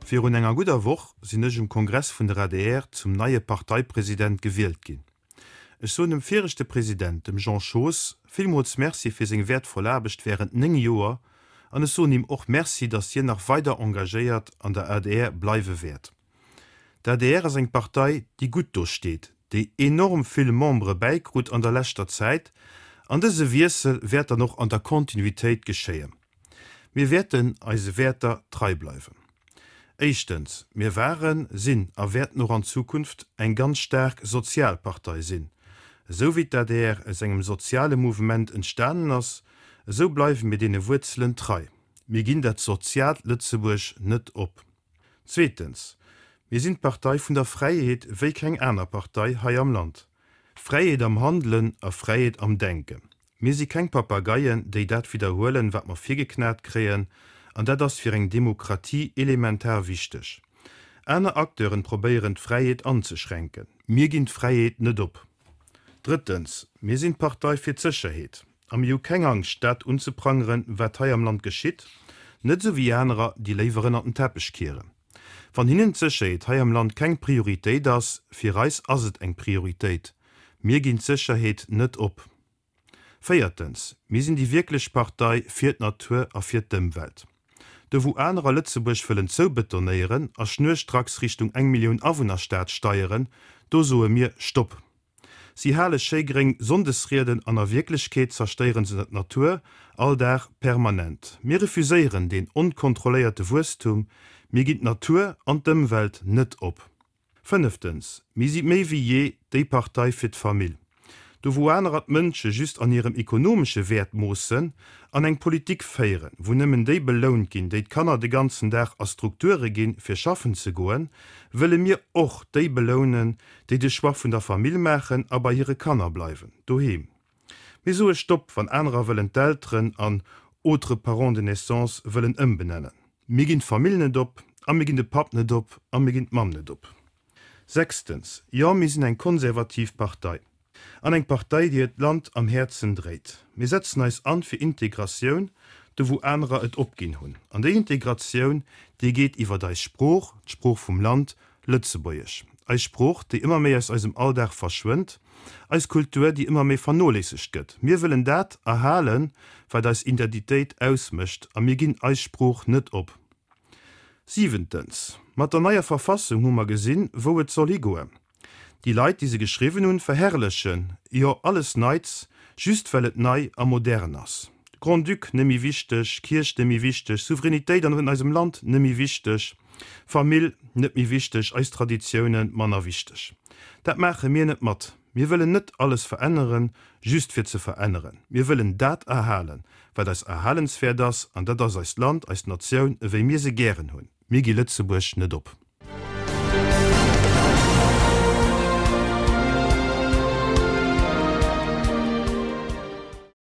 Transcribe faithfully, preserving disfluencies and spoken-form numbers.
Virun enger gudder Woch sinn ech um Kongress vun der adr zum neie Parteipresident gewielt ginn. Ech soen dem viregte President, dem Jean Schoos, villmools Merci fir seng wäertvoll Aarbecht wärend néng Joer an ech soen him och Merci, datt hien nach weider engagéiert an der adr bleiwe wäert. D'adr ass eng Partei, déi gutt do steet, déi enorm vill Membere bäikrut an der leschter Zäit an dëse Wiessel wäert dann och an der Kontinuitéit geschéien. Mir wäerten eise Wäerter trei bleiwen. Éischtens, mir waren, sinn a wäerten och an Zukunft eng ganz staark sozial Partei sinn. Esou wéi d'ADR aus engem soziale Mouvement entstanen ass, esou bleiwe mir deene Wuerzelen trei. Mir ginn dat soziaalt Lëtzebuerg net op. Zweetens, mir sinn d'Partei vun der Fräiheet wéi keng aner Partei hei am Land. Fräiheet am Handelen a Fräiheet am Denken. Mir si keng Papageien, déi dat widderhuelen, wat mer virgeknat kréien, an dat ass fir eng Demokratie elementar wichteg. Aner Acteuren probéieren d'Fräiheet anzeschränken. Mir ginn d'Fräiheet net op. Drëttens, mir sinn d'Partei fir d'Sécherheet. A mir hu keng Angscht, dat unzeprangeren, wat hei am Land geschitt, net esou wéi anerer, déi léiwer ënnert den Teppech kieren. Wann hinnen d'Sécherheet hei am Land keng Prioritéit ass, fir eis ass et eng Prioritéit. Mir ginn d'Sécherheet net op. Véiertens, mir sinn déi wierklech Partei fir d'Natur a fir d'Ëmwelt. Do wou anerer Lëtzebuerg wëllen zoubetonéieren a schnurstracks Richtung eng Millioun Awunnerstad steieren, do soe mir Stopp. Si hale schéi gréng Sonndesrieden an a Wierklechkeet zerstéieren se d'Natur all Dag permanent. Mir refuséieren deen onkontrolléierte Wuesstum, mir ginn d'Natur an d'Ëmwelt net op. Fënneftens, mir si méi wéi jee déi Partei fir d'Famill. Do wou anerer d'Mënsche just an hirem ekonomesche Wäert moossen an eng Politik féieren, wou nëmmen déi belount ginn, déi d'Kanner de ganzen Dag a Strukture ginn, fir schaffen ze goen, wëlle mir och déi belounen, déi de Choix vun der Famill maachen a bei hire Kanner bleiwen, doheem. Mir soe Stopp, wann anerer wëllen d'Elteren an autres parents de naissance wëllen ëmbenennen. Mir ginn d'Famill net op a mir ginn de Papp net op a mir ginn d'Mamm net op. Sechstens, Jo, mir sinn eng konservativ Partei. An eng Partei, déi hiert Land am Häerzen dréit. Mir setzen eis an fir Integratioun, do wou anerer et opginn hunn. An déi Integratioun, déi geet iwwert eis Sprooch, d'Sprooch vum Land, Lëtzebuergesch. Eis Sprooch, déi ëmmer méi aus eisem Alldag verschwënnt. Eis Kultur, déi ëmmer méi vernoléissegt gëtt. Mir wëllen dat erhalen, wat eis Identitéit ausmécht, a mir ginn eis Sprooch net op. Siwentens, Mat der neier Verfassung hu mer gesinn, wou et soll higoen. Déi Leit, déi se geschriwwen hunn, verherrlechen jo alles Neits, just well et nei a modern ass. Grand-Duc net méi wichteg, Kierch net méi wichteg, Souveränitéit an eisem Land net méi wichteg, Famill net méi wichteg, eis Traditiounen manner wichteg. Dat maache mir net mat. Mir wëllen net alles veränneren, just fir ze veränneren. Mir wëllen dat erhalen, wat eis erhalenswäert ass, an dat ass eist Land, eis Natioun, ewéi mir se gären hunn. Mir gi Lëtzebuerg net op.